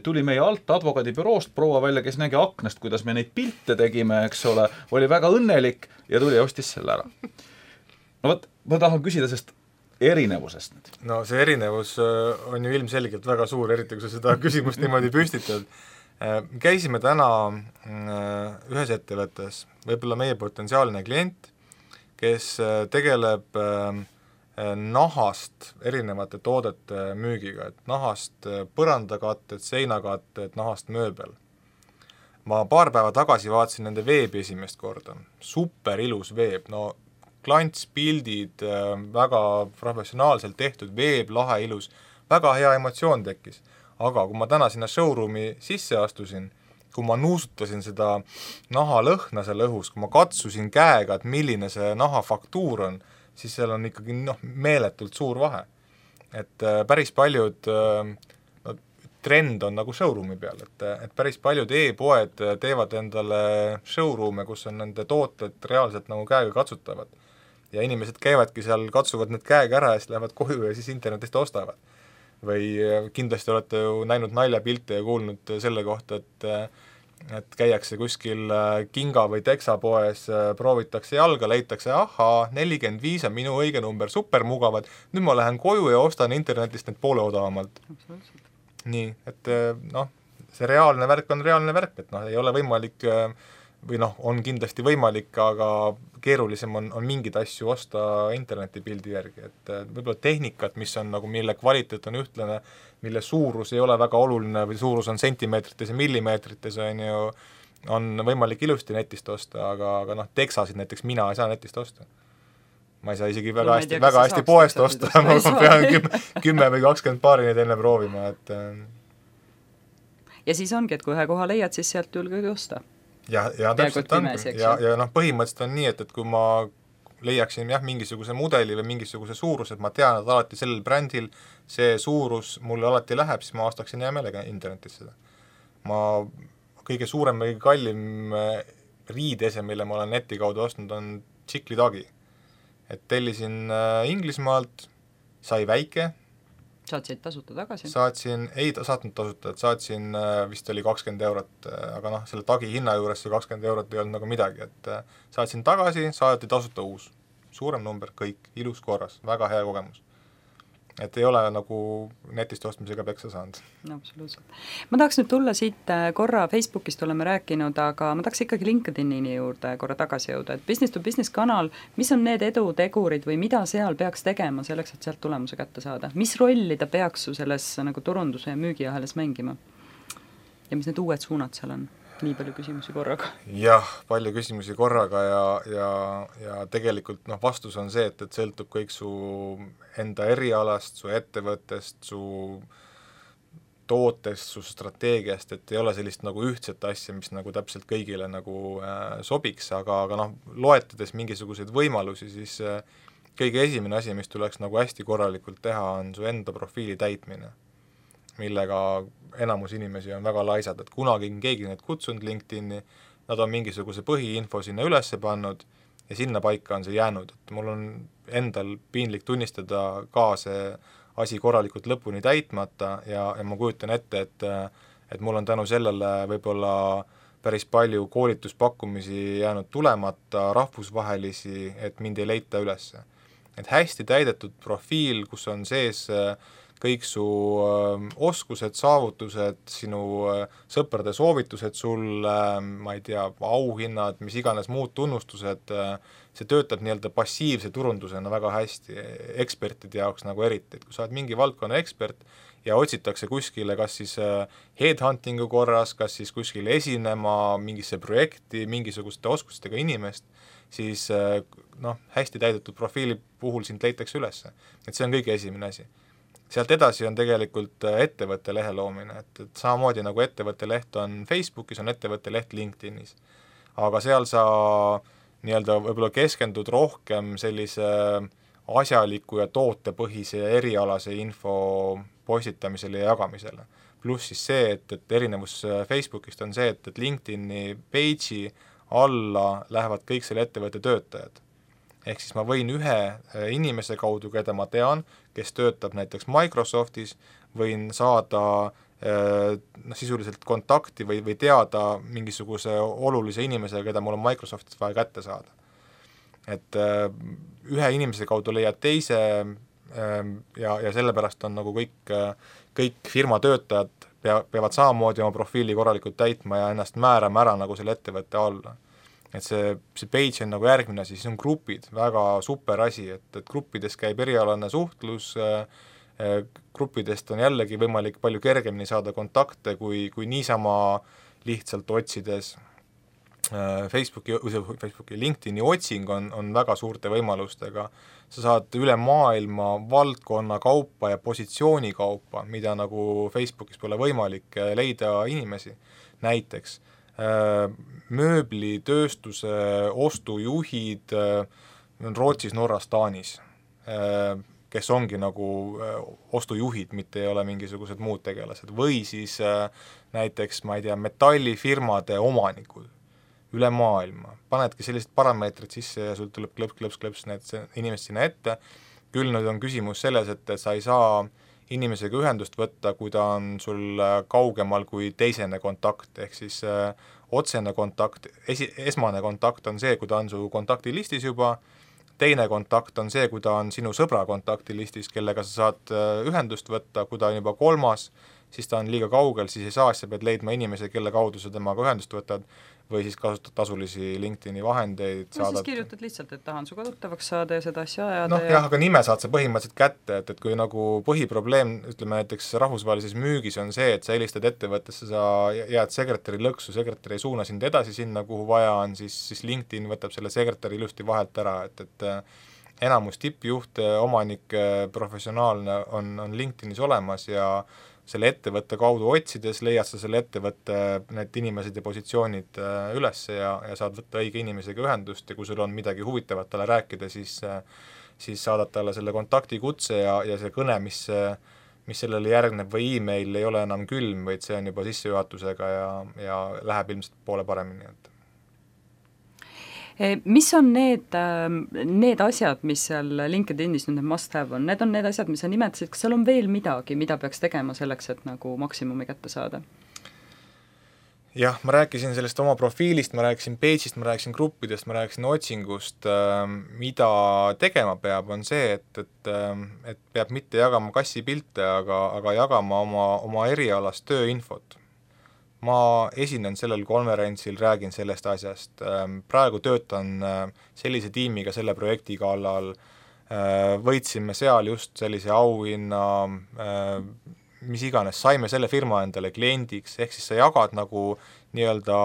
tuli meie alt advokaadibüroost proua välja, kes nägi aknast, kuidas me neid pilte tegime, eks ole, oli väga õnnelik ja tuli ja ostis selle ära. No võt, ma tahan küsida sellest erinevusest nüüd. No see erinevus on ju ilmselgelt väga suur, eriti kui sa seda küsimust niimoodi püstitad. Käisime täna ühes ettevõttes, võib-olla meie potentsiaalne klient, kes tegeleb nahast erinevate toodete müügiga, et nahast põrandakatted, seinakatted, nahast mööbel. Ma paar päeva tagasi vaatasin nende veebi esimest korda. Super ilus veeb, no klantspildid, väga professionaalselt tehtud veeb, lahe ilus, väga hea emotsioon tekkis. Aga kui ma täna sinna showroomi sisse astusin, kui ma nuusutasin seda naha lõhna selle õhus, kui ma katsusin käega, et milline see naha faktuur on, siis seal on ikkagi noh, meeletult suur vahe. Et äh, päris paljud äh, no, trend on nagu showroom'i peal, et, et päris paljud e-poed teevad endale showroom'e, kus on nende tooted reaalselt nagu käega katsutavad. Ja inimesed käivadki seal, katsuvad need käega ära ja siis lähevad koju ja siis internetist ostavad. Või kindlasti olete ju näinud naljapilte ja kuulnud selle kohta, et et käiakse kuskil Kinga või Teksa poes, proovitakse jalga, leitakse, ahaa, nelikümmend viis on minu õige number, super mugavad, nüüd ma lähen koju ja ostan internetist need poole odavamalt. Nii, et noh, see reaalne värk on reaalne värk, et noh, ei ole võimalik või noh, on kindlasti võimalik, aga keerulisem on, on mingid asju osta internetipildi järgi, et võib-olla tehnikat, mis on nagu, mille kvaliteet on ühtlane, mille suurus ei ole väga oluline või suurus on sentimeetrites ja millimeetrites, on ju, on võimalik ilusti netist osta, aga, aga noh, teksasid näiteks mina ei saa netist osta. Ma ei saa isegi väga no, hästi, tea, väga hästi poest osta, ma pean kümme, kümme või kakskümmend paari neid enne proovima, et ja siis ongi, et kui ühe koha leiad, siis sealt julgegi osta. Ja, ja täpselt on, ja, ja noh, põhimõtteliselt on nii, et, et kui ma leiaksin jah, mingisuguse mudeli või mingisuguse suuruse, et ma tean, et alati sellel brändil see suurus mulle alati läheb, siis ma ostaksin hea meelega internetis seda. Ma kõige suurem või kallim riidese, mille ma olen neti kaudu ostnud, on Tšiklitagi. Et tellisin Inglismaalt, sai väike. Saatsid tasuta tagasi? Saatsin, ei saatnud tasuta, et saatsin vist oli kakskümmend eurot, aga noh, selle tagi hinna juures see kakskümmend eurot ei olnud nagu midagi, et saatsin tagasi, saati tasuta uus. Suurem number, kõik, ilus korras, väga hea kogemus. Et ei ole nagu netist ostmisega peksa saanud. No, absoluutselt. Ma tahaks nüüd tulla siit korra Facebookist oleme rääkinud, aga ma tahaks ikkagi LinkedInini juurde korra tagasi jõuda, et business to business kanal, mis on need edutegurid või mida seal peaks tegema selleks, et sealt tulemuse kätte saada? Mis rolli ta peaks su selles nagu turunduse ja müügiahelas mängima? Ja mis need uued suunad seal on? Nii palju küsimusi korraga. Jah, palju küsimusi korraga ja, ja, ja tegelikult noh, vastus on see, et, et sõltub kõik su enda erialast, su ettevõttest, su tootest, su strateegiast, et ei ole sellist nagu ühtset asja, mis nagu täpselt kõigile nagu äh, sobiks, aga, aga noh, loetades mingisuguseid võimalusi, siis äh, kõige esimene asi, mis tuleks nagu hästi korralikult teha, on su enda profiili täitmine, millega enamus inimesi on väga laisad, et kunagi on keegi neid kutsunud LinkedIni, nad on mingisuguse põhiinfo sinna ülesse pannud ja sinna paika on see jäänud, et mul on endal piinlik tunnistada ka see asi korralikult lõpuni täitmata ja, ja ma kujutan ette, et, et mul on tänu sellele võib-olla päris palju koolituspakkumisi jäänud tulemata, rahvusvahelisi, et mind ei leita ülesse. Et hästi täidetud profiil, kus on sees kõik su äh, oskused, saavutused, sinu äh, sõprade soovitused sul, äh, ma ei tea, auhinnad, mis iganes muud tunnustused, äh, see töötab nii-öelda passiivse turundusena väga hästi, ekspertide jaoks nagu eriti, et kui sa oled mingi valdkonna ekspert ja otsitakse kuskile kas siis äh, headhuntingu korras, kas siis kuskile esinema mingisse projekti, mingisuguste oskustega inimest, siis äh, noh, hästi täidetud profiili puhul sind leitakse ülesse. Et see on kõige esimene asi. Sealt edasi on tegelikult ettevõtte lehe loomine, et, et samamoodi nagu ettevõtte leht on Facebookis, on ettevõtte leht LinkedInis. Aga seal sa nii-öelda võib-olla keskendud rohkem sellise asjaliku ja tootepõhise ja erialase info postitamisele ja jagamisele. Pluss siis see, et, et erinevus Facebookist on see, et, et LinkedIni page'i alla lähevad kõik selle ettevõtte töötajad. Ehk siis ma võin ühe inimese kaudu, keda ma tean, kes töötab näiteks Microsoftis, võin saada noh, sisuliselt kontakti või, või teada mingisuguse olulise inimese, keda mul on Microsoftis vaja kätte saada. Et ühe inimese kaudu leiad teise ja, ja sellepärast on nagu kõik, kõik firma töötajad pea, peavad samamoodi oma profiili korralikult täitma ja ennast määrama ära nagu selle ettevõtte alla. Et see, see page on nagu järgmine asi, siis on grupid, väga super asi, et, et gruppides käib erialane suhtlus, äh, gruppidest on jällegi võimalik palju kergemini saada kontakte, kui, kui niisama lihtsalt otsides äh, Facebooki, Facebooki LinkedIni otsing on, on väga suurte võimalustega. Sa saad üle maailma valdkonna kaupa ja positsiooni kaupa, mida nagu Facebookis pole võimalik leida inimesi, näiteks mööblitööstuse ostujuhid on Rootsis, Norras, Taanis, kes ongi nagu ostujuhid, mitte ei ole mingisugused muud tegelased, või siis näiteks, ma ei tea, metallifirmade omanikud üle maailma, panedki sellised parameetrid sisse ja sul tuleb klõps, klõps, klõps need inimesed sinna ette, küll nüüd on küsimus selles, et sa ei saa inimesega ühendust võtta, kui ta on sul kaugemal kui teisene kontakt, ehk siis äh, otsene kontakt, esi, esmane kontakt on see, kui ta on su kontaktilistis juba, teine kontakt on see, kui ta on sinu sõbra kontaktilistis, kellega sa saad äh, ühendust võtta, kui ta on juba kolmas, siis ta on liiga kaugel, siis ei saa, sa pead leidma inimese, kelle kaudu sa temaga ühendust võtad, või siis kasutad tasulisi LinkedIni vahendeid. Või saadad... siis kirjutad lihtsalt, et tahan suga tuttavaks saada ja seda asja ajada. Noh ja... jah, aga nime saad sa põhimõtteliselt kätte, et, et kui nagu põhiprobleem, ütleme näiteks rahvusvahelises müügis on see, et sa helistad ettevõttesse, sa jääd sekretäri lõksu, sekretär ei suuna sind edasi sinna, kuhu vaja on, siis, siis LinkedIn võtab selle sekretäri ilusti vahelt ära, et, et enamus tippjuhte, omanik, professionaalne on, on LinkedInis olemas ja selle ettevõtte kaudu otsides leiad sa selle ettevõtte need inimesed ja positsioonid üles ja, ja saad võtta õige inimesega ühendust ja kui sul on midagi huvitavat talle rääkida, siis, siis saadad talle selle kontaktikutse ja, ja see kõne, mis, mis sellele järgneb või e-mail ei ole enam külm, vaid see on juba sissejuhatusega ja, ja läheb ilmselt poole paremini. Et mis on need, need asjad, mis seal LinkedInis nüüd need must have on, need on need asjad, mis sa nimetasid, kas seal on veel midagi, mida peaks tegema selleks, et nagu maksimumi kätte saada? Jah, ma rääkisin sellest oma profiilist, ma rääkisin page'ist, ma rääkisin gruppidest, ma rääkisin otsingust, mida tegema peab, on see, et, et, et peab mitte jagama kassipilte, aga, aga jagama oma, oma erialast tööinfot. Ma esinen sellel konverentsil, räägin sellest asjast, praegu töötan sellise tiimiga selle projekti kallal, võitsime seal just sellise auhinna, mis iganes, saime selle firma endale kliendiks, ehk siis sa jagad nagu nii-öelda,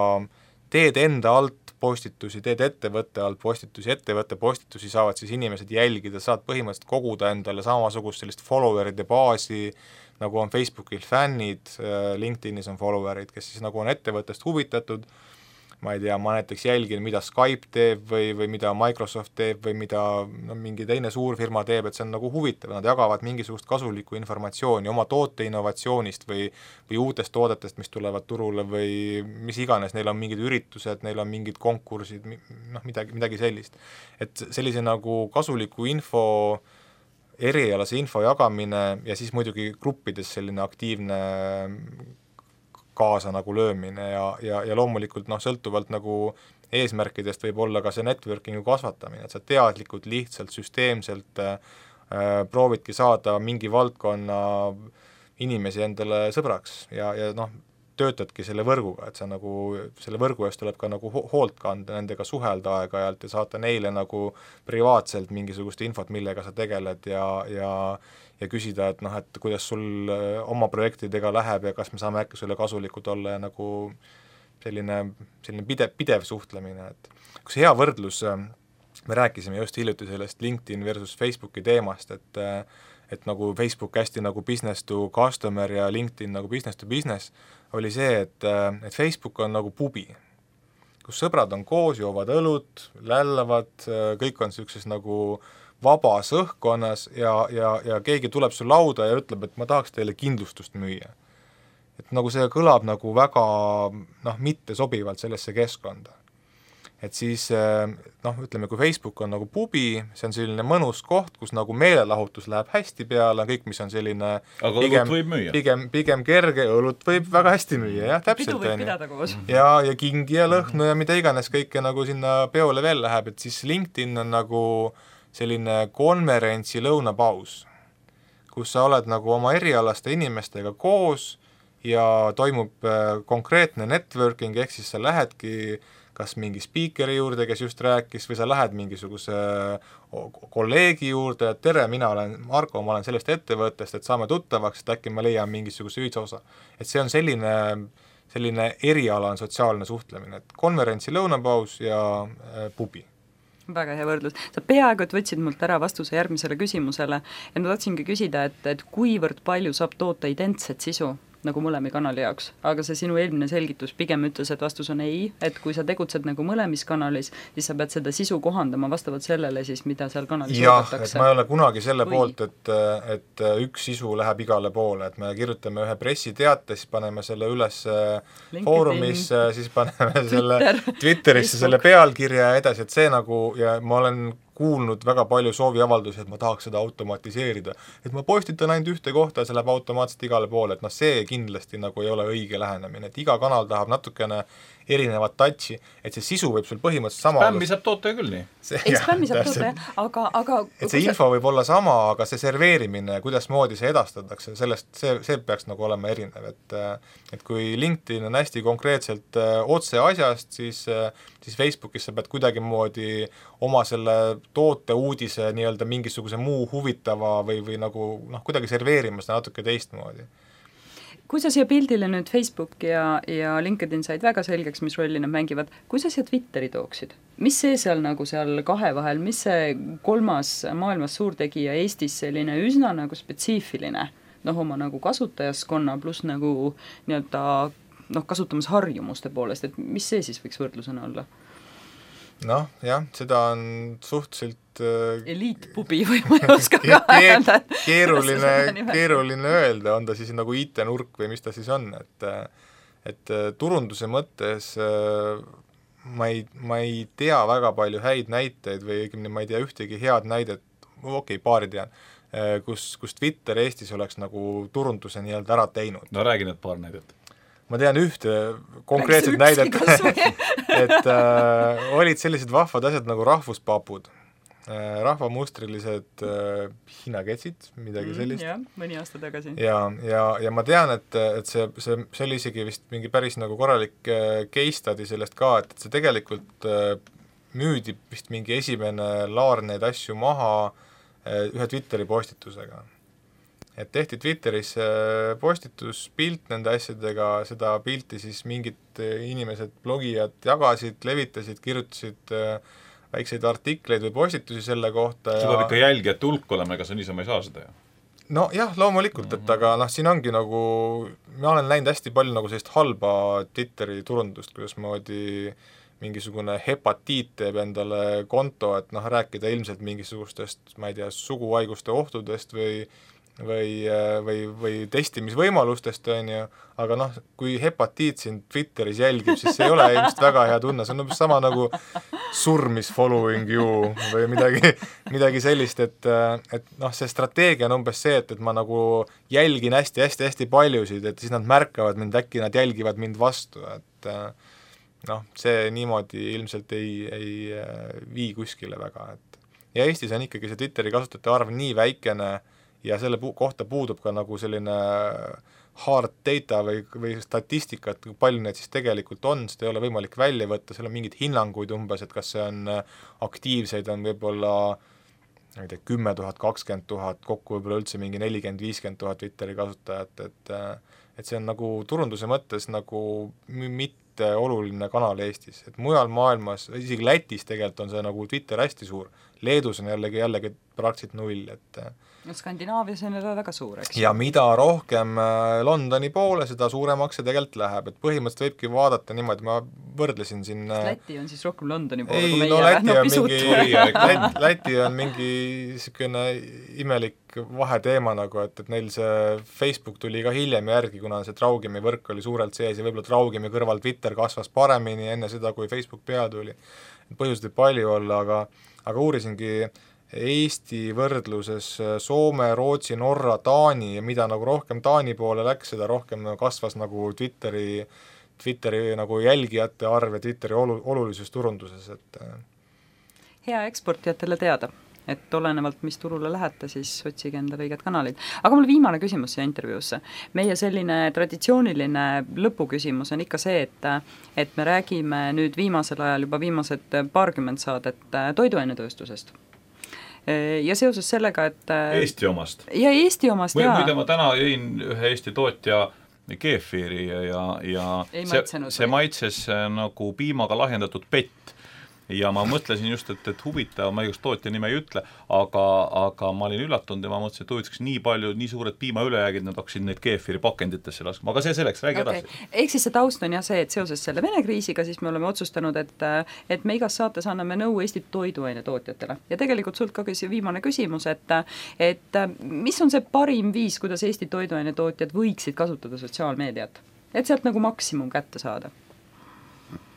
teed enda alt postitusi, teed ettevõtte alt postitusi, ettevõtte postitusi saavad siis inimesed jälgida, saad põhimõtteliselt koguda endale samasugust sellist followeride baasi, nagu on Facebookil fännid, LinkedInis on followerid, kes siis nagu on ettevõttest huvitatud, ma ei tea, ma näiteks jälgin, mida Skype teeb või, või mida Microsoft teeb või mida no, mingi teine suur firma teeb, et see on nagu huvitav, nad jagavad mingisugust kasulikku informatsiooni oma toote innovatsioonist või, või uutest toodetest, mis tulevad turule või mis iganes, neil on mingid üritused, neil on mingid konkursid, noh midagi, midagi sellist. Et sellise nagu kasuliku info erialase info jagamine ja siis muidugi gruppides selline aktiivne kaasa nagu löömine ja, ja, ja loomulikult noh, sõltuvalt nagu eesmärkidest võib olla ka see networkingu kasvatamine, et sa teadlikult, lihtsalt, süsteemselt äh, proovidki saada mingi valdkonna inimesi endale sõbraks ja, ja noh, töötadki selle võrguga, et sa nagu, selle võrgu eest tuleb ka nagu hoolt kanda, nendega suhelda aeg-ajalt ja saata neile nagu privaatselt mingisugust infot, millega sa tegeled ja, ja ja küsida, et noh, et kuidas sul oma projektidega läheb ja kas me saame äkki sulle kasulikud olla ja nagu selline, selline pidev, pidev suhtlemine, et kus hea võrdlus, me rääkisime just hiljuti sellest LinkedIn versus Facebooki teemast, et et nagu Facebook hästi nagu business to customer ja LinkedIn nagu business to business, oli see, et, et Facebook on nagu pubi, kus sõbrad on koos, joovad õlut, lällavad, kõik on sellises nagu vabas õhkkonnas ja, ja, ja keegi tuleb su lauda ja ütleb, et ma tahaks teile kindlustust müüa. Et nagu see kõlab nagu väga noh, mitte sobivalt sellesse keskkonda. Et siis noh, ütleme, kui Facebook on nagu pubi, see on selline mõnus koht, kus nagu meelelahutus läheb hästi peale, kõik, mis on selline aga pigem, õlut võib müüa. Pigem, pigem kerge, õlut võib väga hästi müüa, jah, täpselt. Pidu võib pidada koos. Ja, ja kingi ja lõhnu ja mida iganes kõike nagu sinna peole veel läheb, et siis LinkedIn on nagu selline konverentsi lõunapaus, kus sa oled nagu oma erialaste inimestega koos ja toimub konkreetne networking, ehk siis sa lähedki kas mingi spiikeri juurde, kes just rääkis, või sa lähed mingisuguse kolleegi juurde, et tere, mina olen Marko, ma olen sellest ettevõttest, et saame tuttavaks, et äkki ma leian mingisuguse ühisosa. Et see on selline, selline erialane sotsiaalne suhtlemine, et konverentsi lõunapaus ja äh, pubi. Väga hea võrdlus. Sa peaaegu, et võtsid mult ära vastuse järgmisele küsimusele ja ma tahtsingi küsida, et, et kuivõrd palju saab toota identset sisu nagu mõlemi kanali jaoks, aga see sinu eelmine selgitus pigem ütles, et vastus on ei, et kui sa tegutsed nagu mõlemis kanalis, siis sa pead seda sisu kohandama vastavalt sellele siis, mida seal kanalis jah, oodatakse. et ma ei ole kunagi selle või... poolt, et, et üks sisu läheb igale poole, et me kirjutame ühe pressiteate, siis paneme selle üles LinkedIn, foorumisse, siis paneme Twitter, selle Twitterisse selle pealkirja ja edasi, et see nagu, ja ma olen kuulnud väga palju sooviavaldusi, et ma tahaks seda automatiseerida. Et ma postitan ainult ühte kohta ja see läheb automaatselt igale poole, et noh, see kindlasti nagu ei ole õige lähenemine, et iga kanal tahab natukene erinevat touchi, et see sisu võib sul põhimõtteliselt sama spämmi saab toota ju küll nii. Eks spämmi saab toota, aga, aga et see info võib olla sama, aga see serveerimine, kuidas moodi see edastatakse, sellest, see, see peaks nagu olema erinev, et et kui LinkedIn on hästi konkreetselt otse asjast, siis, siis Facebookis sa pead kuidagi moodi oma selle toote uudise nii-öelda mingisuguse muu huvitava või, või nagu noh, kuidagi serveerima seda natuke teistmoodi. Kui sa siia pildile nüüd Facebook ja, ja LinkedIn said väga selgeks, mis rolli nad mängivad, kui sa siia Twitteri tooksid? Mis see seal nagu seal kahe vahel, mis see kolmas maailmas suurtegija Eestis selline üsna nagu spetsiifiline, noh oma nagu kasutajaskonna pluss nagu nii-öelda noh, kasutamisharjumuste poolest, et mis see siis võiks võrdlusena olla? Noh, jah, seda on suhteliselt eliitpubi või ma ei oska ka öelda. Keeruline, keeruline öelda, on ta siis nagu I T-nurk või mis ta siis on, et et turunduse mõttes ma ei, ma ei tea väga palju häid näiteid või õigemini ma ei tea ühtegi head näidet, okei, okay, paari tean, kus, kus Twitter Eestis oleks nagu turunduse nii-öelda ära teinud. No räägi need paar näidet. Ma tean ühte konkreetset näidet, et äh, olid sellised vahvad asjad nagu rahvuspapud, äh, rahvamustrilised äh, hiinaketsid, midagi sellist. Mm, jah, mõni aasta tagasi. Ja, ja, ja ma tean, et, et see, see, see oli isegi vist mingi päris nagu korralik äh, case study sellest ka, et, et see tegelikult äh, müüdi vist mingi esimene laar neid asju maha äh, ühe Twitteri postitusega. Et tehti Twitteris postitus, pilt nende asjadega, seda pilti siis mingid inimesed, blogijad jagasid, levitasid, kirjutasid väikseid artikleid või postitusi selle kohta. See peab ikka jälgijate hulk olema, ega sa niisama ei saa seda ju. No jah, loomulikult, et aga noh, siin ongi nagu, ma olen näinud hästi palju nagu sellist halba Twitteri turundust, kuidas moodi mingisugune hepatiit teeb endale konto, et noh, rääkida ilmselt mingisugustest, ma ei tea, suguhaiguste ohtudest või või, või, või testimisvõimalustest, on ju, aga noh, kui hepatiit sind Twitteris jälgib, siis see ei ole ilmselt väga hea tunne, see on umbes sama nagu surmis following you või midagi, midagi sellist, et, et noh, see strateegia on umbes see, et, et ma nagu jälgin hästi-hästi-hästi paljusid, et siis nad märkavad mind, äkki nad jälgivad mind vastu, et noh, see niimoodi ilmselt ei, ei vii kuskile väga, et ja Eestis on ikkagi see Twitteri kasutajate arv nii väikene, ja selle pu- kohta puudub ka nagu selline hard data või, või statistikat, kui palju neid siis tegelikult on, seda ei ole võimalik välja võtta, seal on mingid hinnanguid umbes, et kas see on aktiivseid, on võib-olla ma ei tea, kümme tuhat, kakskümmend tuhat, kokku võib-olla üldse mingi nelikümmend, viiskümmend tuhat Twitteri kasutajat, et et see on nagu turunduse mõttes nagu mitte oluline kanal Eestis, et mujal maailmas, isegi Lätis tegelikult on see nagu Twitter hästi suur, Leedus on jällegi, jällegi praktiliselt null, et no Skandinaavias on juba väga suur, eks? Ja mida rohkem Londoni poole, seda suuremaks see tegelikult läheb, et põhimõtteliselt võibki vaadata niimoodi, ma võrdlesin siin Läti on siis rohkem Londoni poole, ei, kui meie no, Läti no, on pisut mingi, Läti, Läti on mingi niisugune imelik vaheteema nagu, et, et neil see Facebook tuli ka hiljem järgi, kuna see Traugimi võrk oli suurelt sees ja võib-olla Traugimi kõrval Twitter kasvas paremini enne seda, kui Facebook pea tuli. Põhjused võib palju olla, aga, aga uurisingi Eesti võrdluses Soome, Rootsi, Norra, Taani ja mida nagu rohkem Taani poole läks, seda rohkem kasvas nagu Twitteri, Twitteri nagu jälgijate arv ja Twitteri olu, olulisus turunduses, et hea eksportijatele teada, et olenevalt, mis turule lähete, siis otsige endale õiged kanalid. Aga mul viimane küsimus siia intervjuusse. Meie selline traditsiooniline lõpuküsimus on ikka see, et, et me räägime nüüd viimasel ajal juba viimased paarkümmend saadet toiduainetööstusest. Ja seoses sellega, et Eesti omast. Ja Eesti omast, Või, jaa. Muide, ma täna jõin ühe Eesti tootja keefiri ja, ja Ei see, maitsenud, see maitses nagu piimaga lahjendatud pett. ja ma mõtlesin just, et, et huvitav, ma igast tootja nime ei ütle, aga, aga ma olin üllatunud ja ma mõtlesin, et huvitaks nii palju, nii suured piimaülejäägid, nad hakkasid neid keefiri pakenditesse laskma, aga see selleks, räägi okay. edasi. Ehk siis see taust on jah see, et seoses selle Vene kriisiga siis me oleme otsustanud, et, et me igas saates anname nõu Eesti toiduainetootjatele. Ja tegelikult sult ka küsi viimane küsimus, et, et mis on see parim viis, kuidas Eesti toiduainetootjad võiksid kasutada sotsiaalmeediat, et sealt nagu maksimum kätte saada?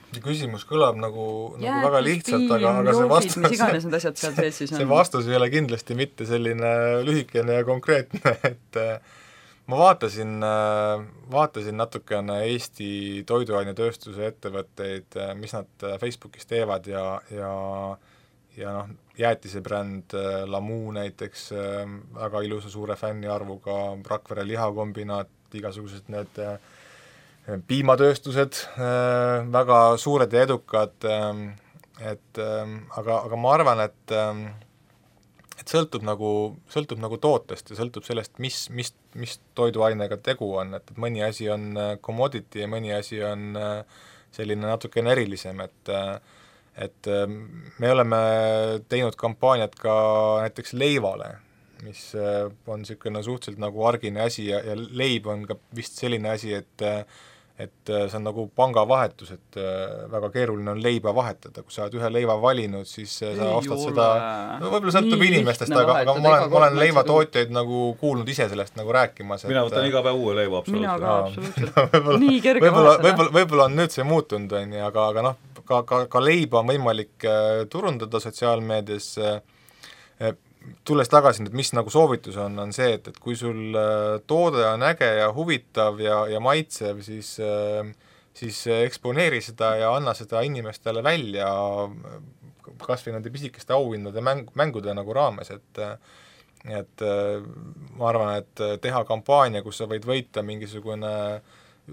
See küsimus kõlab nagu, nagu väga lihtsalt, aga, aga see vastus, see, see vastus ei ole kindlasti mitte selline lühikene ja konkreetne, et ma vaatasin, vaatasin natukene Eesti toiduainetööstuse ettevõtteid, mis nad Facebookis teevad ja, ja, ja noh, jäätisebränd Lamu näiteks, väga ilusa suure fänniarvuga, Rakvere lihakombinaat, igasugused need piimatööstused, väga suured ja edukad, et aga, aga ma arvan, et et sõltub nagu, sõltub nagu tootest ja sõltub sellest, mis, mis, mis toiduainega tegu on, et, et mõni asi on commodity ja mõni asi on selline natukene erilisem, et et me oleme teinud kampaaniat ka näiteks leivale, mis on niisugune suhteliselt nagu argine asi ja, ja leib on ka vist selline asi, et et see on nagu pangavahetus, et väga keeruline on leiba vahetada, kui sa oled ühe leiva valinud, siis sa ei ostad ole. seda, no võib-olla sõltub inimestest, aga, aga ma olen, ma olen leivatootjaid nagu kuulnud ise sellest nagu rääkimas. Mina võtan iga päev uue leiva, absoluutselt. Mina ka, absoluutselt. Nii kerge võib-olla, võib-olla, võib-olla on nüüd see muutunud, on, aga, aga noh, ka, ka, ka leiba on võimalik turundada sotsiaalmeedias. Tulles tagasi, et mis nagu soovitus on, on see, et, et kui sul toode on äge ja huvitav ja, ja maitsev, siis, siis eksponeeri seda ja anna seda inimestele välja kas või nende pisikeste auhindade mäng, mängude nagu raames, et et ma arvan, et teha kampaania, kus sa võid võita mingisugune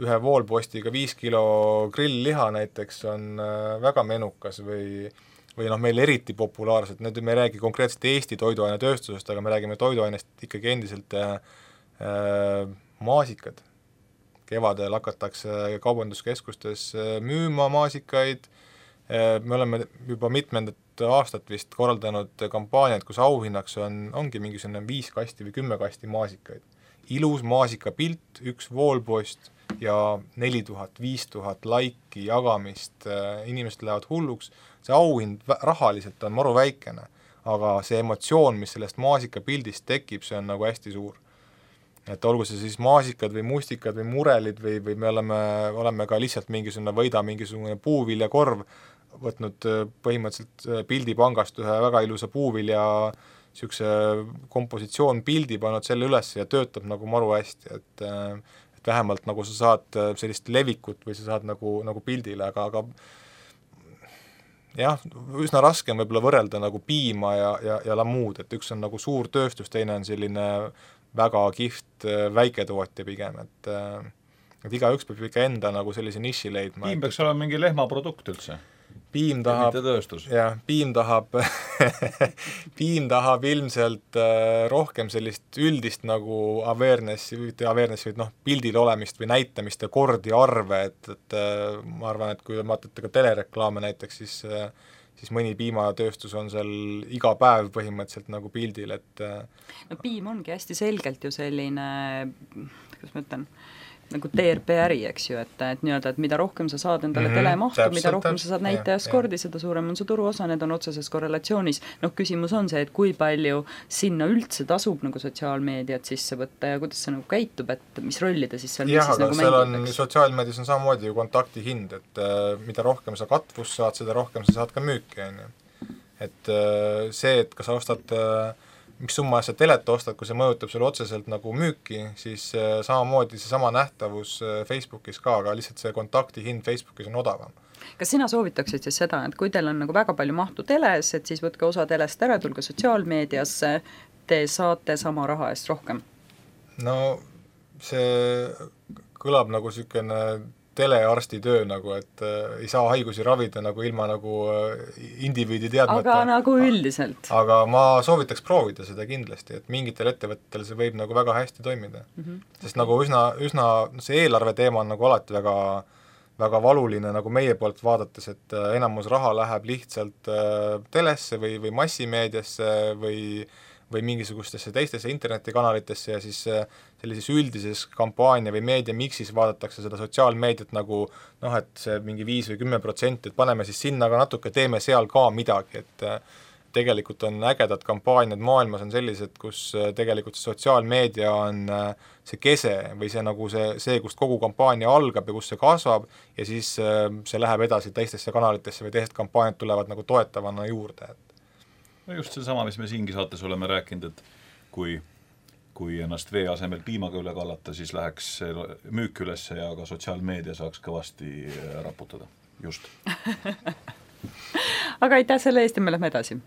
ühe voolpostiga viis kilo grillliha näiteks, on väga menukas või või noh, meil eriti populaarsed, nüüd me ei räägi konkreetselt Eesti toiduainetööstusest, aga me räägime toiduainest ikkagi endiselt äh, maasikad. Kevadel hakatakse kaubanduskeskustes müüma maasikaid, me oleme juba mitmendat aastat vist korraldanud kampaaniaid, kus auhinnaks on, ongi mingisugune viis kasti või kümme kasti maasikaid. Ilus maasikapilt, üks voolpost ja neli tuhat, viis tuhat laiki jagamist, inimesed lähevad hulluks, see auhind rahaliselt on maru väikene, aga see emotsioon, mis sellest maasikapildist tekib, see on nagu hästi suur. Et olgu see siis maasikad või mustikad või murelid või, või me oleme, oleme ka lihtsalt mingisugune võida mingisugune puuviljakorv, võtnud põhimõtteliselt pildipangast ühe väga ilusa puuvilja niisuguse kompositsioon pildi, pannud selle üles ja töötab nagu maru hästi, et, et vähemalt nagu sa saad sellist levikut või sa saad nagu, nagu pildile, aga, aga jah, üsna raske on võib-olla võrrelda nagu piima ja, ja, ja lamuud, et üks on nagu suur tööstus, teine on selline väga kihvt väiketootja pigem, et, et igaüks peab ikka enda nagu sellise niši leidma. Piim peaks olema mingi lehmaprodukt üldse? Piim tahab, jah, piim tahab piim tahab ilmselt äh, rohkem sellist üldist nagu awareness'i, awareness'i või noh, pildil olemist või näitamist ja kordi arve, et, et äh, ma arvan, et kui vaatate ka telereklaame näiteks, siis, äh, siis mõni piimatööstus on seal iga päev põhimõtteliselt nagu pildil, et äh, no piim ongi hästi selgelt ju selline, kuidas ma ütlen, nagu T R P äri, eks ju, et, et nii-öelda, et mida rohkem sa saad endale mm-hmm. telemahtu, mida rohkem sa saad näitajaskordi, seda suurem on su turuosa, need on otseses korrelatsioonis. Noh, küsimus on see, et kui palju sinna üldse tasub nagu sotsiaalmeediat sisse võtta ja kuidas see nagu käitub, et mis rolli ta siis seal jah, aga nagu seal on, sotsiaalmeedias on samamoodi ju kontaktihind, et äh, mida rohkem sa katvust saad, seda rohkem sa saad ka müüki, on ju. Et äh, see, et kas sa ostad äh, mis summa sa telet ostad, kui see mõjutab sulle otseselt nagu müüki, siis äh, samamoodi see sama nähtavus äh, Facebookis ka, aga lihtsalt see kontaktihind Facebookis on odavam. Kas sina soovitaksid siis seda, et kui teil on nagu väga palju mahtu teles, et siis võtke osa telest ära, tulge sotsiaalmeediasse, te saate sama raha eest rohkem? No see kõlab nagu niisugune telearsti töö nagu, et äh, ei saa haigusi ravida nagu ilma nagu äh, indiviidi teadmata. Aga nagu üldiselt. Aga ma soovitaks proovida seda kindlasti, et mingitel ettevõtetel see võib nagu väga hästi toimida. Mm-hmm. Sest nagu üsna, üsna see eelarve teema on nagu alati väga, väga valuline nagu meie poolt vaadates, et enamus raha läheb lihtsalt telesse või, või massimeediasse või või mingisugustesse teistesse internetikanalitesse ja siis sellises üldises kampaania või meediamiksis vaadatakse seda sotsiaalmeediat nagu noh, et see mingi viis või kümme protsenti, et paneme siis sinna ka natuke, teeme seal ka midagi, et tegelikult on ägedad kampaaniad maailmas on sellised, kus tegelikult see sotsiaalmeedia on see kese või see nagu see, see, kust kogu kampaania algab ja kus see kasvab ja siis see läheb edasi teistesse kanalitesse või teised kampaaniad tulevad nagu toetavana juurde, et no just seesama, mis me siingi saates oleme rääkinud, et kui, kui ennast vee asemel piimaga üle kallata, siis läheks müük ülesse ja ka sotsiaalmeedia saaks kõvasti raputada. Just. Aga aitäh selle eest ja me lähme edasi.